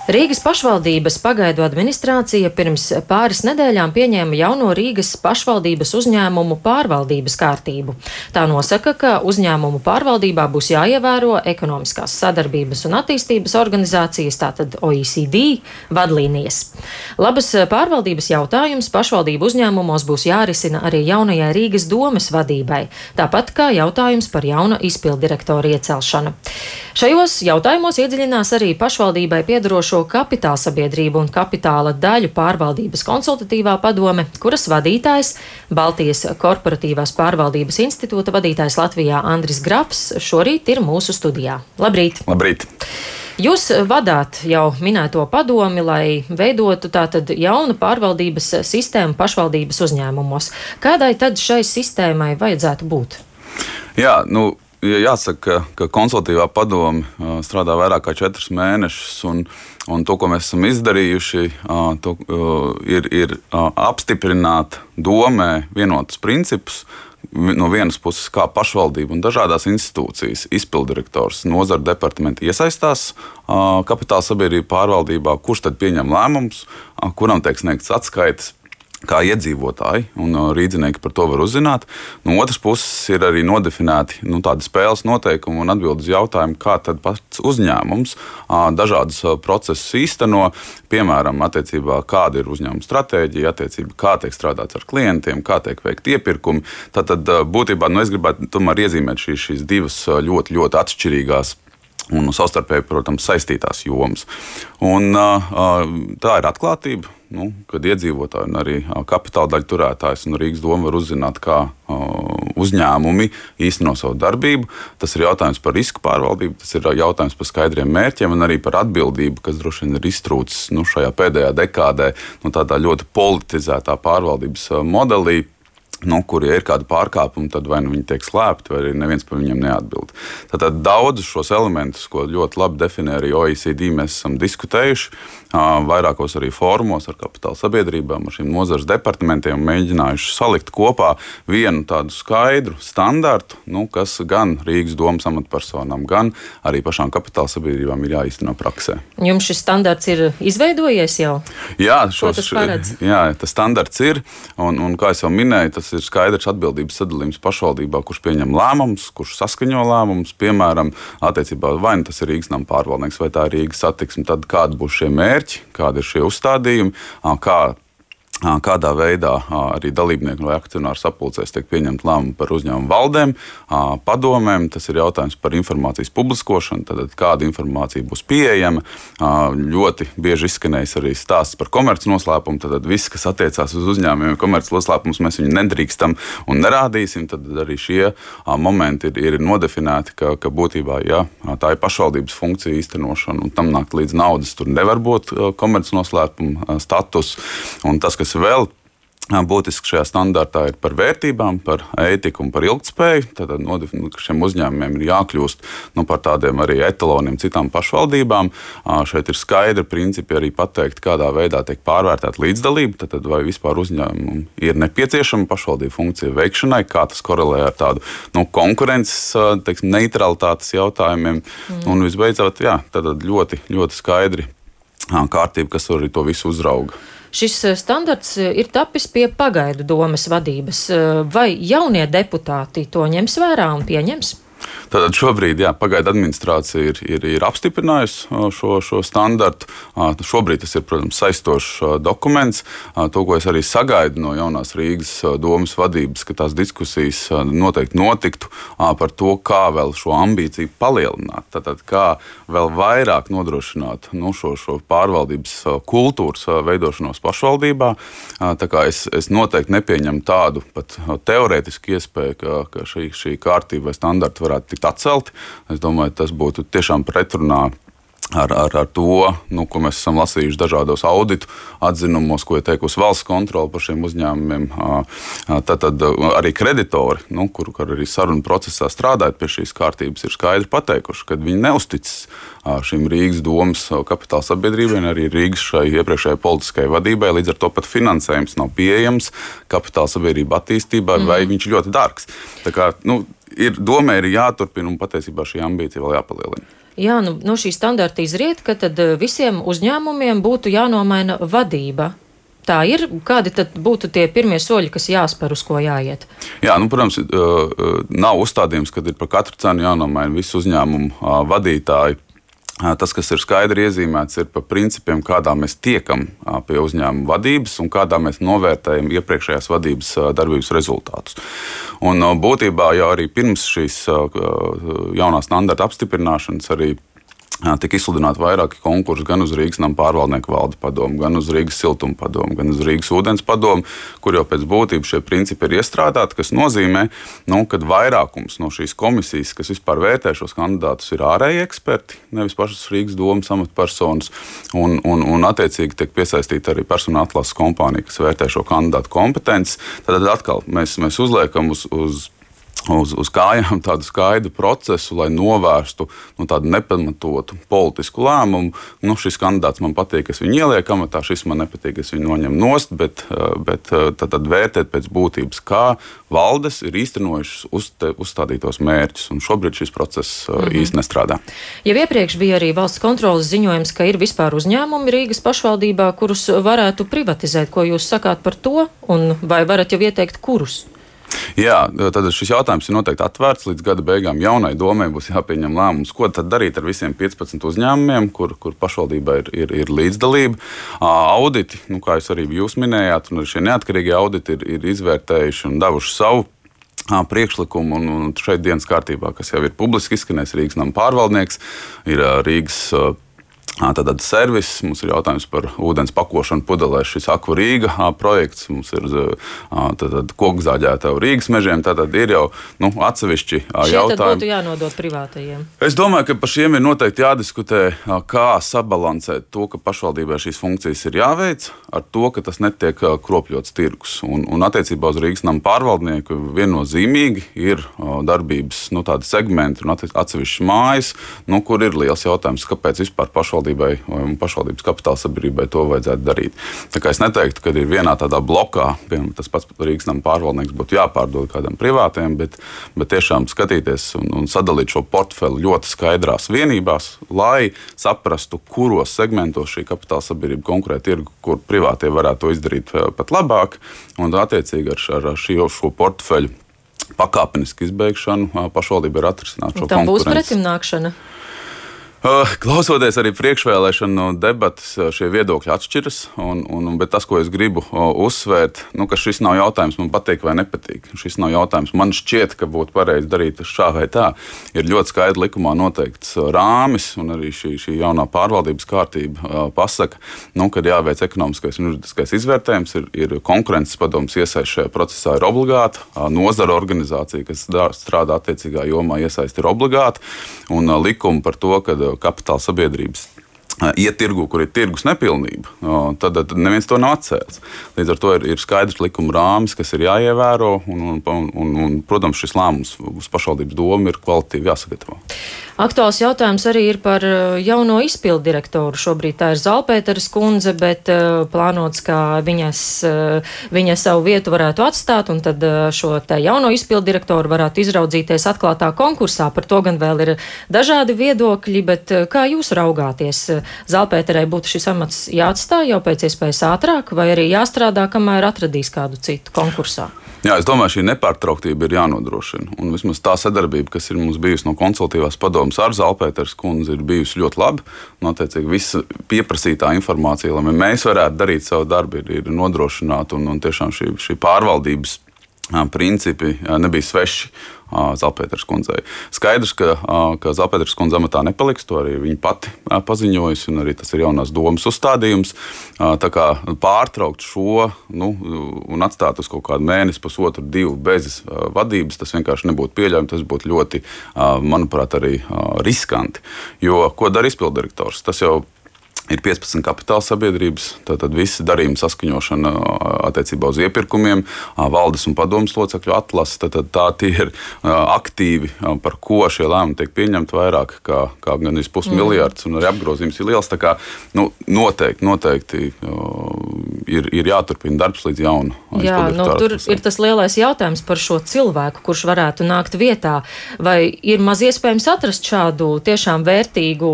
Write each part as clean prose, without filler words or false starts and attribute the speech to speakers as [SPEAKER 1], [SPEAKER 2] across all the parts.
[SPEAKER 1] Rīgas pašvaldības pagaidu administrācija pirms pāris nedēļām pieņēma jauno Rīgas pašvaldības uzņēmumu pārvaldības kārtību. Tā nosaka, ka uzņēmumu pārvaldībā būs jāievēro ekonomiskās sadarbības un attīstības organizācijas, tātad OECD, vadlīnijas. Labas pārvaldības jautājums pašvaldību uzņēmumos būs jārisina arī jaunajai Rīgas domes vadībai, tāpat kā jautājums par jauna izpilddirektora iecelšanu. Šajos jautājumos iedziļinās arī pašvaldībai piederošo kapitāla sabiedrību un kapitāla daļu pārvaldības konsultatīvā padome, kuras vadītājs, Baltijas korporatīvās pārvaldības institūta vadītājs Latvijā Andris Grafs, šorīt ir mūsu studijā. Labrīt!
[SPEAKER 2] Labrīt!
[SPEAKER 1] Jūs vadāt jau minēto padomi, lai veidotu tātad jaunu pārvaldības sistēmu pašvaldības uzņēmumos. Kādai tad šai sistēmai vajadzētu būt?
[SPEAKER 2] Jā, jāsaka, ka konsultatīvā padome strādā vairāk kā 4 mēnešus, un to, ko mēs esam izdarījuši, ir apstiprināt domē vienotus principus. No vienas puses, kā pašvaldība un dažādās institūcijas, izpilddirektors, nozara departamenti iesaistās kapitāla sabiedrību pārvaldībā, kurš tad pieņem lēmumus, kuram tiek sniegts atskaites, kā iedzīvotāji un rīdzinieki par to var uzzināt. No otras puses ir arī nodefinēti tādi spēles noteikumi un atbildes jautājumi, kā tad pats uzņēmums dažādus procesus īsteno, piemēram, attiecībā, kāda ir uzņēmuma stratēģija, attiecībā, kā tiek strādāts ar klientiem, kā tiek veikti iepirkumi. Tātad būtībā es gribētu tomēr iezīmēt šīs divas ļoti, ļoti atšķirīgās un savstarpēji, protams, saistītās jomas. Un tā ir atklātība, kad iedzīvotāji un arī kapitāla daļu turētājs un Rīgas doma var uzzināt, kā uzņēmumi īsteno savu darbību. Tas ir jautājums par risku pārvaldību, tas ir jautājums par skaidriem mērķiem un arī par atbildību, kas droši vien ir iztrūcis šajā pēdējā dekādē tādā ļoti politizētā pārvaldības modelī. Kur ja ir kāda pārkāpuma, tad vai viņi tiek slēpti, vai arī neviens par viņiem neatbild. Tātad daudzus šos elementus, ko ļoti labi definē arī OECD, mēs esam diskutējuši vairākos arī fórumos ar kapitāla sabiedrībām, ar šiem nozares departamentiem, mēģinājuši salikt kopā vienu tādu skaidru standartu, kas gan Rīgas domas amatpersonām, gan arī pašām kapitāla sabiedrībām ir jāīsteno praksē.
[SPEAKER 1] Jums šis standarts ir izveidojies jau?
[SPEAKER 2] Jā, tas standarts ir, un kā es jau minēju, tas ir skaidrs atbildības sadalījums pašvaldībā, kurš pieņem lēmumus, kurš saskaņo lēmumus, piemēram, attiecībā vai tas ir Rīgas nama pārvaldnieks, vai tā ir Rīgas satiksme, tad kādi būs šie mērķi, kādi ir šie uzstādījumi, kādā veidā arī dalībnieku vai akcionāru sapulcēs tiek pieņemt lēmumi par uzņēmumu valdēm, padomēm. Tas ir jautājums par informācijas publiskošanu, tad kāda informācija būs pieejama. Ļoti bieži izskanējis arī stāsts par komercnoslēpumu, tad viss, kas attiecās uz uzņēmumiem, komercnoslēpumus, mēs viņu nedrīkstam un nerādīsim. Tad arī šie momenti ir nodefinēti, ka būtībā tā ir pašvaldības funkcija īstenošana, un tam nākt līdz naudas. Tur nevar būt komercnoslēpuma status, un tas, kas vēl būtiski šajā standartā ir par vērtībām, par ētiku un par ilgtspēju. Tad ka šiem uzņēmumiem ir jākļūst par tādiem arī etaloniem citām pašvaldībām. Šeit ir skaidri principi arī pateikt, kādā veidā tiek pārvērtēta līdzdalība, tad vai vispār uzņēmumam ir nepieciešama pašvaldību funkcija veikšanai, kā tas korelē ar tādu konkurences, neutralitātes jautājumiem. Un visbeidzot, tad ļoti, ļoti skaidri kārtība, kas arī to visu uzrauga.
[SPEAKER 1] Šis standarts ir tapis pie pagaidu domes vadības. Vai jaunie deputāti to ņems vērā un pieņems?
[SPEAKER 2] Tātad šobrīd pagaidu administrācija ir apstiprinājusi šo standartu. Šobrīd tas ir, protams, saistošs dokuments. To, ko es arī sagaidu no jaunās Rīgas domas vadības, ka tās diskusijas noteikti notiktu par to, kā vēl šo ambīciju palielināt. Tātad kā vēl vairāk nodrošināt šo pārvaldības kultūras veidošanos pašvaldībā. Tā kā es noteikti nepieņemu tādu pat teorētisku iespēju, ka šī kārtība vai standarti varētu tikt atcelti. Es domāju, tas būtu tiešām pretrunā ar to, ko mēs esam lasījuši dažādos auditu atzinumos, ko ir teikusi valsts kontrole par šiem uzņēmumiem. Tad arī kreditori, kur arī sarunu procesā strādājot pie šīs kārtības, ir skaidri pateikuši, ka viņi neusticas šīm Rīgas domas kapitāla sabiedrībai un arī Rīgas šai iepriekšējai politiskajai vadībai. Līdz ar to pat finansējums nav pieejams kapitāla sabiedrība attīstībā, vai viņš ļoti dārgs. Tā kā, domē ir jāturpina un patiesībā šī ambīcija vēl jāpalielina.
[SPEAKER 1] Jā, no šī standarta izriet, ka tad visiem uzņēmumiem būtu jānomaina vadība. Tā ir, kādi tad būtu tie pirmie soļi, kas jāspēr, uz ko jāiet?
[SPEAKER 2] Jā, protams, nav uzstādījums, ka ir par katru cenu jānomaina visu uzņēmumu vadītāju. Tas, kas ir skaidri iezīmēts, ir par principiem, kādā mēs tiekam pie uzņēmuma vadības un kādā mēs novērtējam iepriekšējās vadības darbības rezultātus. Un būtībā jau arī pirms šīs jaunā standarta apstiprināšanas arī tika izsludināti vairāki konkursi gan uz Rīgas nama pārvaldnieku valdes padomu, gan uz Rīgas siltuma padomu, gan uz Rīgas ūdens padomu, kur jau pēc būtības šie principi ir iestrādāti, kas nozīmē, ka vairākums no šīs komisijas, kas vispār vērtē šos kandidātus, ir ārēji eksperti, nevis pašas Rīgas domas amatpersonas, un attiecīgi tiek piesaistīta arī personāla atlases kompānija, kas vērtē šo kandidātu kompetences. Tad atkal mēs uzliekam uz kājām tādu skaidru procesu, lai novērstu tādu nepamatotu politisku lēmumu. Šis kandidāts man patīk, es viņu ielieku amatā, šis man nepatīk, es viņu noņemu nost, bet tad vērtēt pēc būtības, kā valdes ir īstenojušas uzstādītos mērķus. Un šobrīd šis process īsti nestrādā.
[SPEAKER 1] Jau iepriekš bija arī valsts kontroles ziņojums, ka ir vispār uzņēmumi Rīgas pašvaldībā, kurus varētu privatizēt. Ko jūs sakāt par to? Un vai varat jau ieteikt, kurus?
[SPEAKER 2] Jā, tad šis jautājums ir noteikti atvērts. Līdz gada beigām jaunai domai būs jāpieņem lēmums, ko tad darīt ar visiem 15 uzņēmumiem, kur pašvaldībā ir līdzdalība. Auditi, kā jūs minējāt, un šie neatkarīgie auditi ir izvērtējuši un devuši savu priekšlikumu. Un šeit dienas kārtībā, kas jau ir publiski izskanējis, Rīgas nama pārvaldnieks, ir Rīgas Tātad servis, mums ir jautājums par ūdens pakošanu pudelēs, šis Akva Rīga projekts, mums ir kokzāģēta Rīgas mežiem, tātad ir jau atsevišķi jautājumi.
[SPEAKER 1] Šie tad būtu jānodot privātajiem?
[SPEAKER 2] Es domāju, ka par šiem ir noteikti jādiskutē, kā sabalansēt to, ka pašvaldībai šīs funkcijas ir jāveic, ar to, ka tas netiek kropļots tirgus. Un attiecībā uz Rīgas nama pārvaldnieku viennozīmīgi ir darbības tādi segmenti un atsevišķas mājas, kur ir liels jautājums, kāpēc vispār pašvaldībai un pašvaldības kapitāla sabiedrībai to vajadzētu darīt. Tā kā es neteiktu, ka ir vienā tādā blokā, piemēram, tas pats Rīgas nama pārvaldnieks būtu jāpārdod kādam privātiem, bet tiešām skatīties un sadalīt šo portfeli ļoti skaidrās vienībās, lai saprastu, kuros segmentos šī kapitāla sabiedrība konkurē tirgu, kur privātie varētu to izdarīt pat labāk, un attiecīgi ar šo portfeļu pakāpenisku izbeigšanu pašvaldība ir atrisināt šo konkurenci.
[SPEAKER 1] Tam būs pretimnākšana?
[SPEAKER 2] Klausoties arī priekšvēlēšanu debatas, šie viedokļi atšķiras, bet tas, ko es gribu uzsvērt, ka šis nav jautājums man patīk vai nepatīk. Šis nav jautājums man šķiet, ka būtu pareizi darīt šā vai tā. Ir ļoti skaidri likumā noteikts rāmis, un arī šī jaunā pārvaldības kārtība pasaka, kad jāveic ekonomiskais un juridiskais izvērtējums, ir konkurences padomes iesaist šajā procesā ir obligāta, nozara organizācija, kas strādā attiecīgā jomā, iesaist ir obligāta, un likumi par to, ka kapitāla sabiedrības iet tirgu, kur ir tirgus nepilnība, tad neviens to nav atcēlis. Līdz ar to ir skaidrs likuma rāmis, kas ir jāievēro, un protams, šis lēmums uz pašvaldības domu ir kvalitīvi jāsagatavo.
[SPEAKER 1] Aktuāls jautājums arī ir par jauno izpildu direktoru. Šobrīd tā ir Zalpēteres kundze, bet plānots, ka viņa savu vietu varētu atstāt, un tad šo te jauno izpildu direktoru varētu izraudzīties atklātā konkursā. Par to gan vēl ir dažādi viedokļi, bet kā jūs raugāties? Zalpēterei būtu šis amats jāatstāj jau pēc iespējas ātrāk, vai arī jāstrādā, kamēr atradīs kādu citu konkursā?
[SPEAKER 2] Jā, es domāju, šī nepārtrauktība ir jānodrošina. Un vismaz tā sadarbība, kas ir mums bijusi no konsultatīvās padomes ar Zalpēteres kundzi, ir bijusi ļoti laba. Un, attiecīgi, visa pieprasītā informācija, lai mēs varētu darīt savu darbu, ir nodrošināta. Un tiešām šī pārvaldības principi nebija sveši Zalpēteres kundzei. Skaidrs, ka Zalpēteres kundze amatā nepaliks, to arī viņa pati paziņojusi, un arī tas ir jaunās domas uzstādījums. Tā kā pārtraukt šo un atstāt uz kaut kādu mēnesi, pusotru, 2 bez vadības, tas vienkārši nebūtu pieļaujami, tas būtu ļoti, manuprāt, arī riskanti. Jo ko dara izpilddirektors? Tas jau ir 15 kapitāla sabiedrības, tātad visi darījumi saskaņošana attiecībā uz iepirkumiem, valdes un padomes locekļu atlase, tad tā tie ir aktīvi, par ko šie lēmumi tiek pieņemti vairāk kā gan 500 miljards, un arī apgrozījums ir liels. Tā kā noteikti ir jāturpina darbs līdz jaunu.
[SPEAKER 1] Jā, tur ir tas lielais jautājums par šo cilvēku, kurš varētu nākt vietā. Vai ir maz iespējams atrast šādu tiešām vērtīgu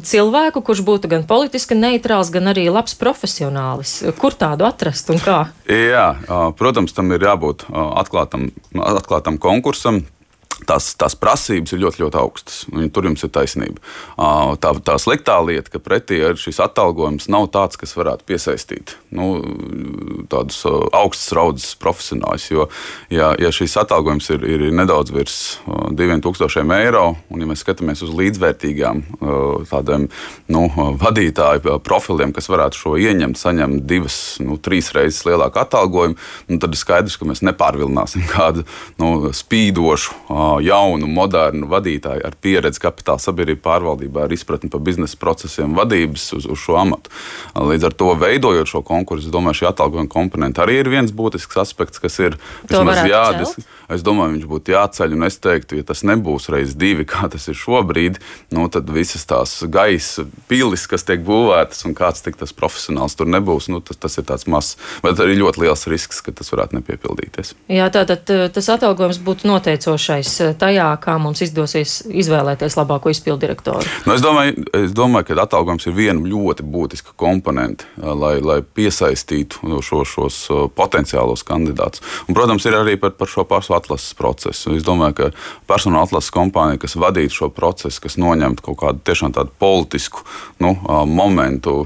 [SPEAKER 1] cilvēku, kurš būtu gan politiski neitrāls, gan arī labs profesionālis? Kur tādu atrast un kā?
[SPEAKER 2] Jā, protams, tam ir jābūt atklātam konkursam. Tās prasības ir ļoti, ļoti augstas. Tur jums ir taisnība. Tā sliktā lieta, ka pretī šis atalgojums nav tāds, kas varētu piesaistīt tādus augstas raudzes profesionāļus. Jo, ja šis atalgojums ir nedaudz virs 2000 eiro, un ja mēs skatāmies uz līdzvērtīgām tādiem vadītāju profiliem, kas varētu šo ieņemt, saņemt 2-3 reizes lielāku atalgojumu, tad ir skaidrs, ka mēs nepārvilināsim kādu spīdošu, jaunu, modernu vadītāju ar pieredzi kapitāla sabiedrību pārvaldībā, ar izpratni par biznesa procesiem, vadības uz šo amatu. Līdz ar to, veidojot šo konkursu, es domāju, šī atalgojuma komponenta arī ir viens būtisks aspekts, kas ir vismaz jādiskutu. Es domāju, viņš būtu jāceļ, un es teiktu, ja tas nebūs reiz 2, kā tas ir šobrīd, tad visas tās gaisa pilis, kas tiek būvētas, un kāds tik tas profesionāls tur nebūs, tas ir tāds mazs, bet arī ļoti liels risks, ka tas varētu nepiepildīties.
[SPEAKER 1] Jā, tātad tas atalgojums būtu noteicošais tajā, kā mums izdosies izvēlēties labāko izpildirektoru.
[SPEAKER 2] Es domāju, ka atalgojums ir viena ļoti būtiska komponente, lai piesaistītu šos potenciālos kandidātus. Un, protams, ir arī par šo pašu atlases procesu. Es domāju, ka personāla atlases kompānija, kas vadītu šo procesu, kas noņemtu kaut kādu tiešām tādu politisku momentu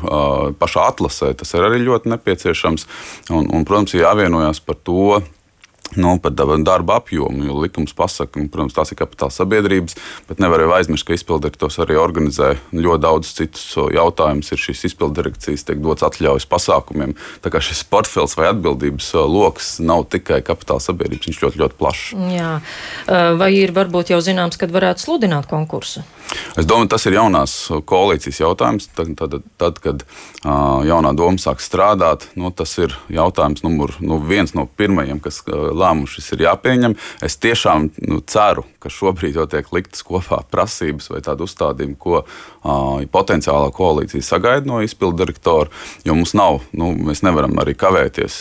[SPEAKER 2] pašā atlasē, tas ir arī ļoti nepieciešams. Un protams, ir jāvienojās par to, par darba apjomu, jo likums pasaka, protams, tās ir kapitāla sabiedrības, bet nevar jau aizmirst, ka izpildirektors arī organizē ļoti daudz citus jautājumus. Ir šīs izpildirekcijas, tiek dots atļaujas pasākumiem. Tā kā šis portfels vai atbildības loks nav tikai kapitāla sabiedrības, viņš ļoti, ļoti plašs.
[SPEAKER 1] Jā. Vai ir varbūt jau zināms, kad varētu sludināt konkursu?
[SPEAKER 2] Es domāju, tas ir jaunās koalīcijas jautājums. Tad kad jaunā doma sāk strādāt, tas ir jautājums viens no pirmajiem, kas lēmums šis ir jāpieņem. Es tiešām ceru, ka šobrīd jau tiek liktas kopā prasības vai tādu uzstādījumu, ko potenciālā koalīcija sagaida no izpildirektora, jo mums nav, mēs nevaram arī kavēties.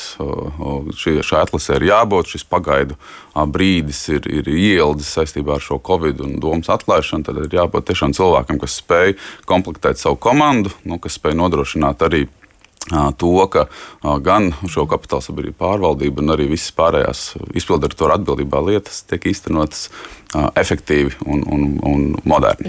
[SPEAKER 2] Šai atlasē ir jābūt, šis pagaidu brīdis ir ieldzis saistībā ar šo Covid un domas atlaišanu, tad ir jābūt tiešām cilvēkam, kas spēj komplektēt savu komandu, kas spēj nodrošināt arī to, ka gan šo kapitāla sabiedrību pārvaldība un arī visas pārējās izpildirektora atbildībā lietas tiek īstenotas efektīvi un moderni.